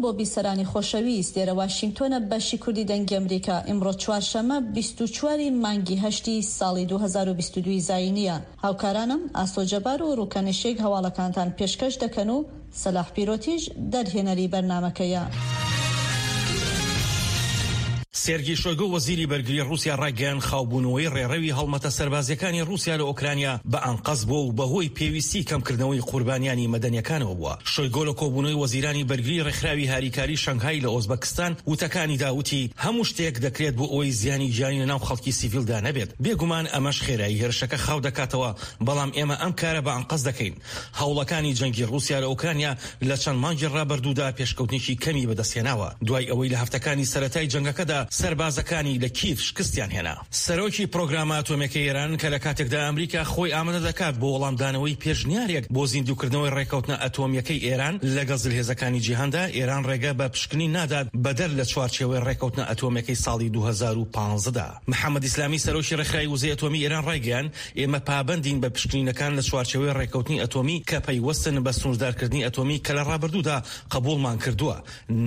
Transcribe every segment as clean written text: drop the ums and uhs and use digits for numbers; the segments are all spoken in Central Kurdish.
بۆ بیسەرانی خۆشەویست، لێرە واشینگتۆنە بەشی کوردی دەنگی ئەمریکا، ئیمڕۆ چوارشەممە 24 ی مانگی هەشتی ساڵی 2022 ی زایینییە. هاوکارانم ئاسۆ جەبار و ڕوکەن ئشیک هەواڵەکانتان پێشکەش دەکەن و سەلاح پیرۆتیش دەرهێنەری بەرنامەکەیە. سێرگی شۆیگۆ وەزیری بەرگری ڕووسیا ڕایگەیاند، خاوبوونەوەی ڕێڕەوی هەڵمەتە سەربازییەکانی ڕووسیا لە ئۆکرانیا بە ئەنقەست بووە و بەهۆی پێویستی کەمکردنەوەی قوربانیانی مەدەنییەکانەوە بووە. شۆیگۆ لە کۆبوونەوەی وەزیرانی بەرگری ڕێکخراوی هاریکاری شەنگهای لە ئۆزبەکستان وتەکانیدا وتی، هەموو شتێک دەکرێت بۆ ئەوەی زیانی گیانی لەناو خەڵکی سیڤیلدا نەبێت. بێگومان ئەمەش خێرایی هێرشەکە خاو دەکاتەوە، بەڵام ئێمە ئەم کارە بە ئەنقەست دەکەین. هەوڵەکانی جەنگی ڕووسیا لە ئۆکرانیا لە چەند مانگی ڕابردوودا پێشکەوتنێکی کەمی بەدەستهێناوە، دوای ئەوەی لە هەفتەکانی سەرەتای جەنگەکەدا سەربازەکانی لە کیڤ شکستیان هێنا. سەرۆکی پرۆگرامە ئەتۆمییەکەی ئێران کە لە کاتێکدا ئەمریکا خۆی ئامادە دەکات بۆ وەڵامدانەوەی پێشنیارێک بۆ زیندووکردنەوەی ڕێککەوتنە ئەتۆمییەکەی ئێران لەگەڵ زلهێزەکانی جیهاندا، ئێران ڕێگە بە پشکنین نادات بەدەر لە چوارچێوەی ڕێککەوتنە ئەتۆمییەکەی ساڵی 2015 دا. محەمەد ئیسلامی سەرۆکی ڕێکخراوی وزەی ئەتۆمی ئێران ڕایگەیاند، ئێمە پابەندین بە پشکنینەکان لە چوارچێوەی ڕێککەوتنی ئەتۆمی کە پەیوەستن بە سنووردارکردنی ئەتۆمی کە لە ڕابردوودا قبوڵمان کردووە،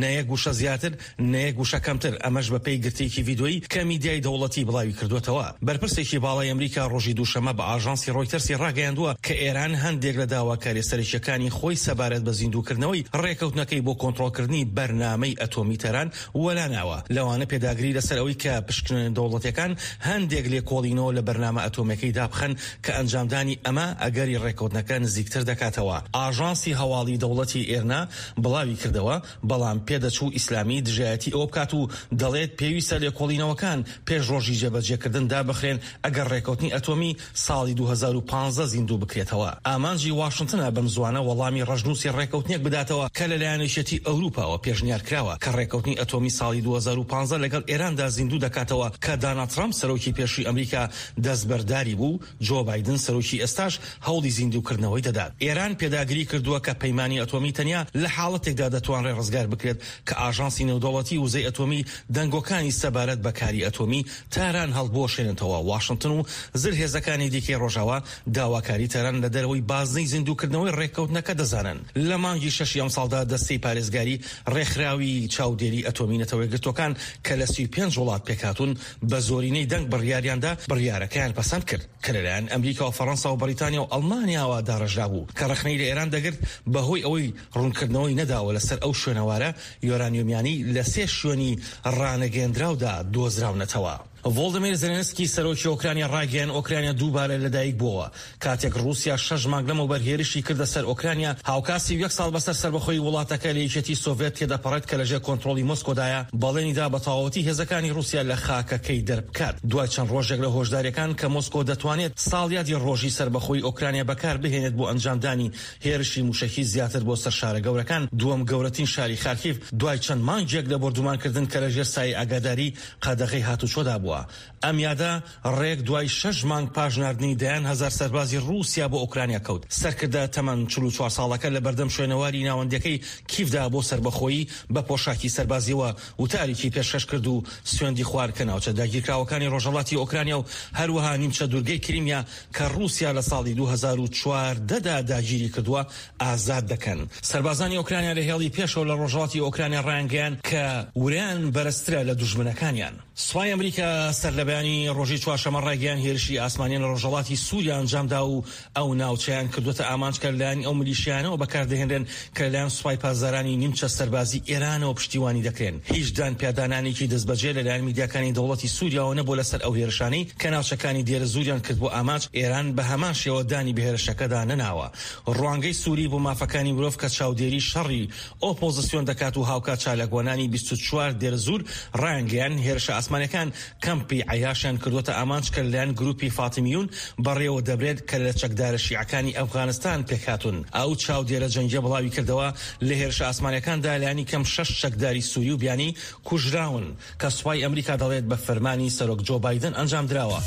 نە یەک وشە زیاتر، نە یەک وشە کەمتر، ئەمەش بەپێی گرتەیەکی ڤیدۆیی کە میدیای دەوڵەتی بڵاوی کردووەتەوە. بەرپرسێکی باڵای ئەمریکا ڕۆژی دووشەممە بە ئاژانسی ڕۆیتەرسی ڕاگەیاندووە کە ئێران هەندێک لە داواکارییە سەرەکییەکانی خۆی سەبارەت بە زیندووکردنەوەی ڕێککەوتنەکەی بۆ کۆنترۆڵکردنی بەرنامەی ئەتۆمی تاران وەلا ناوە، لەوانە پێداگری لەسەر ئەوەی کە پشکنینە دەوڵەتیەکان هەندێک لێکۆڵینەوە لە بەرنامە ئەتۆمیەکەی دابخەن کە ئەنجامدانی ئەمە ئەگەری ڕێککەوتنەکە نزیکتر دەکاتەوە. ئاژانسی هەواڵی دەوڵەتی ئێرنا بڵاوی کردەوە، بەڵام پێدەچوو ئیسلامی دژایەتی ئەوە بکات و دەڵێت پێویستە لێکۆڵینەوەکان پێش ڕۆژی جێبەجێکردن دابخرێن ئەگەر ڕێککەوتنی ئەتۆمی ساڵی 2015 زیندوو بکرێتەوە. ئامانجی واشنتنە بەمزوانە وەڵامی ڕەشنووسی ڕێککەوتنێک بداتەوە کە لەلایەن یەکێتی ئەوروپاوە پێشنیار کراوە کە ڕێککەوتنی ئەتۆمی ساڵی 2015 لەگەڵ ئێراندا زیندوو دەکاتەوە کە داناڵد ترەمپ سەرۆکی پێشووی ئەمریکا دەستبەرداری بوو و جۆ بایدن سەرۆکی ئێستاش هەوڵی زیندووکردنەوەی دەدات. ئێران پێداگری کردووە کە پەیمانی ئەتۆمی تەنیا لە حاڵەتێکدا دەتوانرێت ڕزگار بکرێت کە ئاژانسی نێودەوڵەتی وزەی ئەتۆمی دەنگۆکانی سەبارەت بە کاری ئەتۆمی تاران هەڵبوەشێنێتەوە. واشنتن و زلهێزەکانی دیکەی ڕۆژاوا داواکاری تاران لە دەرەوەی بازنەی زیندووکردنەوەی ڕێککەوتنەکە دەزانن. لە مانگی شەشی ئەمساڵدا دەستەی پارێزگاری ڕێکخراوی چاودێری ئەتۆمی نەتەوەیەکگرتووەکان کە لە 35 وڵات پێکهاتوون بە زۆرینەی دەنگ بڕیاریاندا بڕیارەکەیان پەسەند کرد کە لەلایەن ئەمریکا و فەڕەنسا و بەریتانیا و ئەڵمانیاوە داڕێژرابوو کە ڕەخنەی لە ئێران دەگرت بەهۆی ئەوەی ڕوونکردنەوەی نەداوە لەسەر ئەو شوێنەوارە یۆرانیۆمیانەی لە سێ شوێنی ڕانەگەیەندراودا دۆزراونەتەوە. ڤۆڵدیمیر زێلێنسکی سەرۆکی ئۆکرانیا ڕایگەیاند، ئۆکرانیا دووبارە لەدایک بووەوە کاتێک ڕووسیا شەش مانگ لەمەوبەر هێرشی کردە سەر ئۆکرانیا، هاوکات 31 ساڵ بەسەر سەربەخۆیی وڵاتەکە لە یەکێتی سۆڤێت تێدەپەڕێت کە لەژێر کۆنترۆڵی مۆسکۆدایە، بەڵێنیدا بە تەواوەتی هێزەکانی ڕووسیا لە خاکەکەی دەربکات. دوای چەند ڕۆژێک لە هۆشدارییەکان کە مۆسکۆ دەتوانێت ساڵیادی ڕۆژی سەربەخۆیی ئۆکرانیا بەکاربهێنێت بۆ ئەنجامدانی هێرشی مووشەکی زیاتر بۆ سەر شارە گەورەکان، دووەم گەورەترین شاری خارکیڤ دوای چەند مانگێک لە بۆردومانکردن کە لەژێر سایەی ئاگاداری قەدەغەی هاتوچۆدا بووە. ئەم یادە ڕێک دوای شەش مانگ پاش ناردنی دەیان هەزار سەربازی ڕووسیا بۆ ئۆکرانیا کەوت. سەرکردە تەمەن 44 ساڵەکە لە بەردەم شوێنەواری ناوەندیەکەی کیڤدا بۆ سەربەخۆیی بە پۆشاکی سەربازیەوە وتارێکی پێشکەش کرد و سوێندی خوارد کە ناوچە داگیرکراوەکانی ڕۆژهەڵاتی ئۆکرانیا و هەروەها نیمچە دوورگەی کریمیا کە ڕووسیا لە ساڵی 2014 دا داگیری کردووە ئازاد دەکەن. سەربازانی ئۆکرانیا لە هێڵی پێشەوە لە ڕۆژهەڵاتی ئۆکرانیا ڕایانگەیاند کە ورەیان بەرزترە لە دوژمنەکانیان. سوپای ئەمریکا سەرلەبەیانی ڕۆژی چوارشەممە ڕایگەیاند هێرشی ئاسمانیان لە ڕۆژهەڵاتی سوریا ئەنجامدا و ئەو ناوچەیان کردووەتە ئامانج کە لەلایەن ئەو میلیشیایانەوە بەکاردەهێنرێن کە لەلایەن سوپای پاسدارانی نیمچە سەربازی ئێرانەوە پشتیوانی دەکرێن. هیچ دانپیادانانێکی دەستبەجێ لەلایەن میدیاکانی دەوڵەتی سوریاوە نەبووە لەسەر ئەو هێرشانەی کە ناوچەکانی دێرەزووریان کردبووە ئامانج، ئێران بە هەمان شێوە دانی بە هێرشەکەدا نەناوە. ڕوانگەی سوری بۆ مافەکانی مرۆڤ کە چاودێری شەڕی ئۆپۆزسیۆن دەکات و هاوکات چالاکوانانی 24 دێرەزوور ڕایانگەیاند، هێرشە ئاسمانیەکان کەمپی عەیاشیان کردووەتە ئامانج کە لەلایەن گروپی فاتیمیون بەڕێوە دەبرێت کە لە چەکدارە شیعەکانی ئەفغانستان پێکهاتوون. ئەو چاودێرە جەنگیە بڵاویکردەوە، لە هێرشە ئاسمانیەکاندا لانی کەم شەش چەکداری سوری و بیانی کوژراون کە سوپای ئەمریکا دەڵێت بە فەرمانی سەرۆک جۆ بایدن ئەنجامدراوە.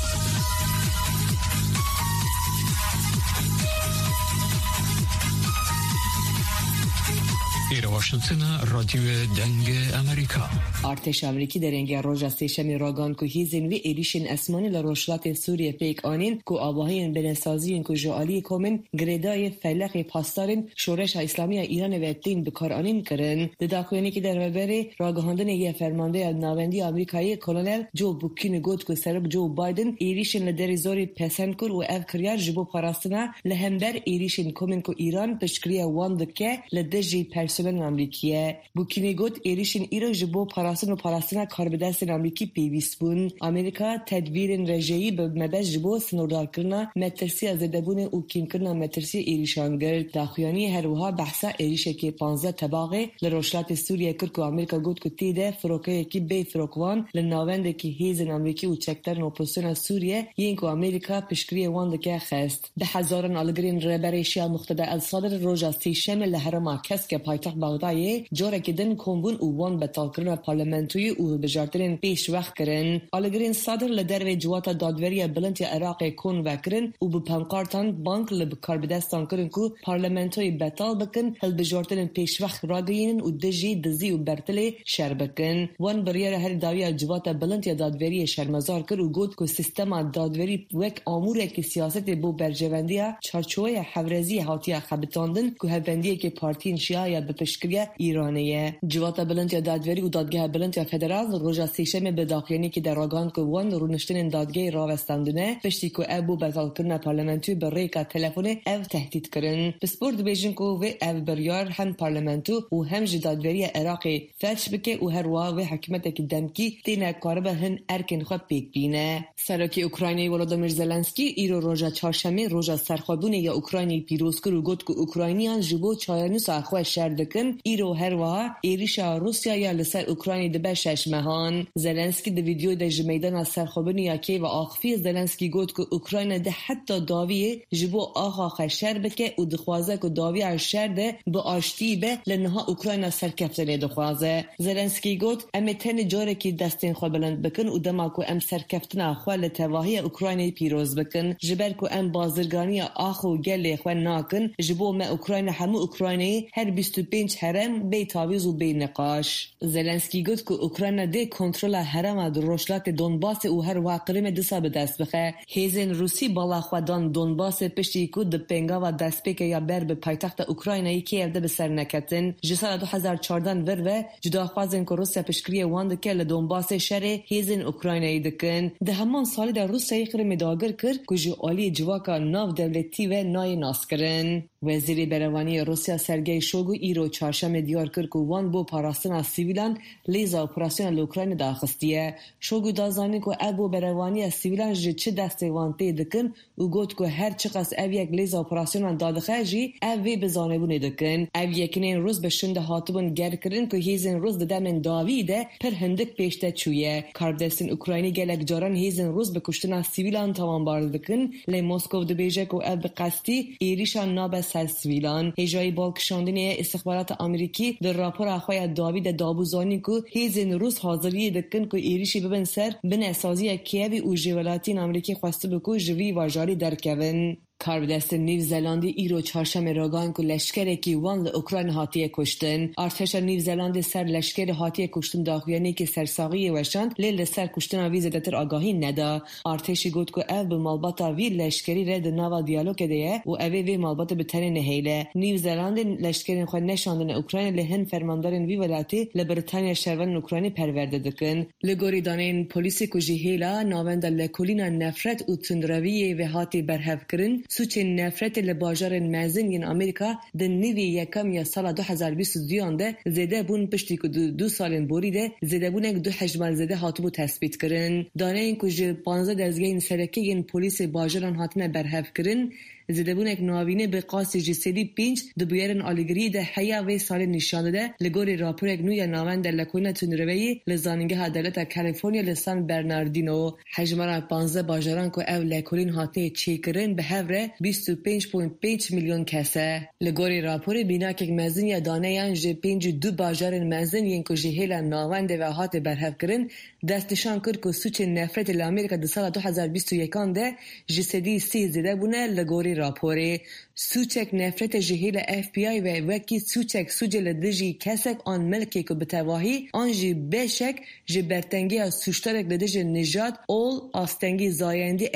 ئێرە واشنتنە، ڕادیۆ دەنگ ئەمریکا. Artêşa Amerîkî derengîya roja Sêşemê ragihand ku hêzên wê êrîşên esmanî li rojhilatê Sûriyê pêk anîn ku avahiyên binesaziyên ku ji aliyê komên girêdayê Feleqê Pasdarên Şoreşa Îslamî ya Îranê ve tên bikaranîn kirin. Di daxuyaniyekê de rêveberê ragihandinê yê Fermandeya Navendî ya Amerîkayê Kolonel Joe Bucchini got ku Serok Joe Biden êrîşên li Derê Zorê pesend kir û ev kiryar ji bo parastina li hember êrîşên komên ku Îran piştgiriya wan dike li dijî personelên Amerîkî ye. Bukînê got, Êrîşên îro ji bo parastin û parastina karbidestên Amerîkî pêwîst bûn. Amerîka tedbîrên rejeyî bi mebest ji bo sinordarkirina metirsiya zêdebûnê û kêmkirina metirsiyê êrîşan girt. Daxuyaniyê her wiha behsa êrîşekê 15 Tebaxê li rojhilatê Sûriyeyê kir ku Amerîka got ku tê de firokeyekî bê firokvan li navendekî hêzên Amerîkî û çekdarên opozisyona Sûriye yên ku Amerîka piştgiriyê wan dike xist. Bi hezaran aligirên Rêberê Şîa Muqteda El Sadr roja Sêşemê li herêma Keske paytext Bexdayê carekî din kom bûn û wan betalkirina parlamentoyê û hilbijartinên pêşwext kirin. Aligirên Sadr li dervê Ciwata Dadweriya Bilind ya Iraqê kon vekirin û bi pankartan bang li karbidestan kirin ku parlamentoyê betal bikin, hilbijartinên pêşwext ragihînin û dijî dizî û bertilê şer bikin. Wan biryara herî dawî ya Civata Bilind ya Dadweriyê şermezar kir û got ku sîstema dadwerî wek amûrekî siyasetê bo berjewendiya çarçoweya hevreziyê hatiye xebitandin ku hevbendiyekê partiyên Şîa ya bi piştgiriya Îranê ye. Civata Bilind ya Dadwerî û Dadgeha Bilind ya Federal roja Sêşemê bi daxuyaniyekê de ragihand ku wan rûniştinên dadgehê rawestandine piştî ku ew bo betalkirina parlamentoyê bi rêka telefonê ew tehdît kirin. Pispor dibêjin ku vê ev biryar hem parlamento û hem jî dadweriya Iraqê felç bike û her wiha vê hikûmetekî demkî têne karibe hin erkên xwe pêk bîne. Serokê Ukraynayê Volodymyr Zelensky îro roja Çarşemê roja serxwebûnê ya Ukraynayê pîroz kir û got ku Ukrayniyan ji bo çarenûsa xwe şer dikin, îro her wiha êrîşa Rûsya ya li ser Ukraynayê dibe şeş mehan. Zelensky di vîdyoyê de ji meydana serxwebûnê ya Kîevê axivî, Zelensky got ku Ukrayna di heta dawiyê ji bo axa xwe şer bike û dixwaze ku dawiya şer de bi aştiyî be li niha Ukrayna serkeftinê dixwaze. Zelensky got, Em ê tenê carekî destên xwe bilind bikin û dema ku em serkeftina xwe li tevahiya Ukraynayê pîroz bikin. Ji ber ku em bazirganiya ax û gelê xwe nakin, ji bo me Ukrayna hemû Ukraynayê her 25 herem bê tavîz û bê niqaş. Zelensky got ku Ukrayna dê kontrola herema di rojhilatê Donbasê û her wiha Qrimê disa bi dest bixe. Hêzên Rûsî bala xwe dan Donbasê piştî ku di pêngava destpêkê ya ber bi paytexta Ukraynayê Kiev de bi ser neketin. Ji sala 2014 vir ve cudaxwazên ku Rûsya piştgiriyê wan dike li Donbasê şerê hêzên Ukraynayê dikin. Di heman salê de Rûsyayê Qrimê dagir kir ku ji aliyê civaka navdewletî ve nayê naskirin. Wezîrê Berevaniyê Rûsya Sergey Shoigu îro Çarşemê diyar kir ku wan bo parastina sivîlan lêza operasyona li Ukraynê daxistiye. Shoigu da zanîn ku ev bo berevaniya sivîlan ji çi destê wan tê dikin û got ku her çiqas ev yek lêza operasyonan dadixe jî ev vê bi zanebûnê dikin. Ev yekinên Rûs bi şûnde hatibûn gerkirin ku hêzên Rûs di demên dawî de pir hindik pêş de çûye. Karbidestên Ukraynî gelek caran hêzên Rûs bi kuştina sivîlan tawanbar dikin lê Moskow dibêje ku ev bi qestî êrîşan nabe ser sivîlan. Hêjayî balkişandinê ye îstixbarata Amerîkî di rapora xwe ya dawî de dabû zanîn ku hêzên Rûs haziriyê dikin ku êrîşî bibin ser binesaziya Kîevê û ji welatiyên Amerîkî xwestibû ku ji vî bajarî derkevin. Karbidestên Nîv Zelandî îro Çarşemê ragihand ku leşkerekî wan li Ukrayna hatiye kuştin. Artêşa Nîv Zelandê ser leşkerê hatiye kuştin daxuyaniyekê sersaxiyê weşand lê li ser kuştina wî zêdetir agahî neda. Artêşê got ku ev bi malbata vî leşkerî re di nava diyalogê de ye û ev ê vê malbatê bi tenê nehêle. Nîv Zelandê leşkerên xwe neşandine Ukraynê lê hin fermandarên vî welatî li Britanya şervanên Ukraynî perwerde dikin. Li gorî daneyên polîsê ku ji hêla Navenda Lekolîna Nefret û Tundrewiyê ve hatî berhevkirin, sûcên nefretê li bajarên mezin yên Amerîka Di nîvê yekem ya sala 2022 an de zêde bûn piştî ku di du salên borî de zêdebûnek du hejmar zêde hatibû tespîtkirin. Daneyên ku ji 15 dezgehên sereke yên polîsê bajaran hatine berhevkirin, zêdebûnek navînê bi qasî ji sedî pênc di bûyerên alîgiriyê de heya vê salê nîşan dide, li gorî raporek nû ya Navenda Lekolîna Tundreweyê li Zanîngeha Dewleta California li San Bernardino. Hejmara 15 bajaran ku ev lekolîn hatê çêkirin bi hev re 25.5 milyon kes e. Li gorî raporê bînakek mezin ya daneyan ji 52 bajarên mezin yên ku ji hêla navendê ve hatê berhevkirin. Destnîşan kir ku sûcên nefretê li Amerîka di sala 2021 an de 30% zêde bûne li gorî raporê. Sûcek nefretê ji hêla FBI ve wekî sûcek sûcê li dijî kesek an milkê ku bi tevahî an jî beşek ji bertengiya sûcdarek li dijî nijad, ol, astengî, zayendî.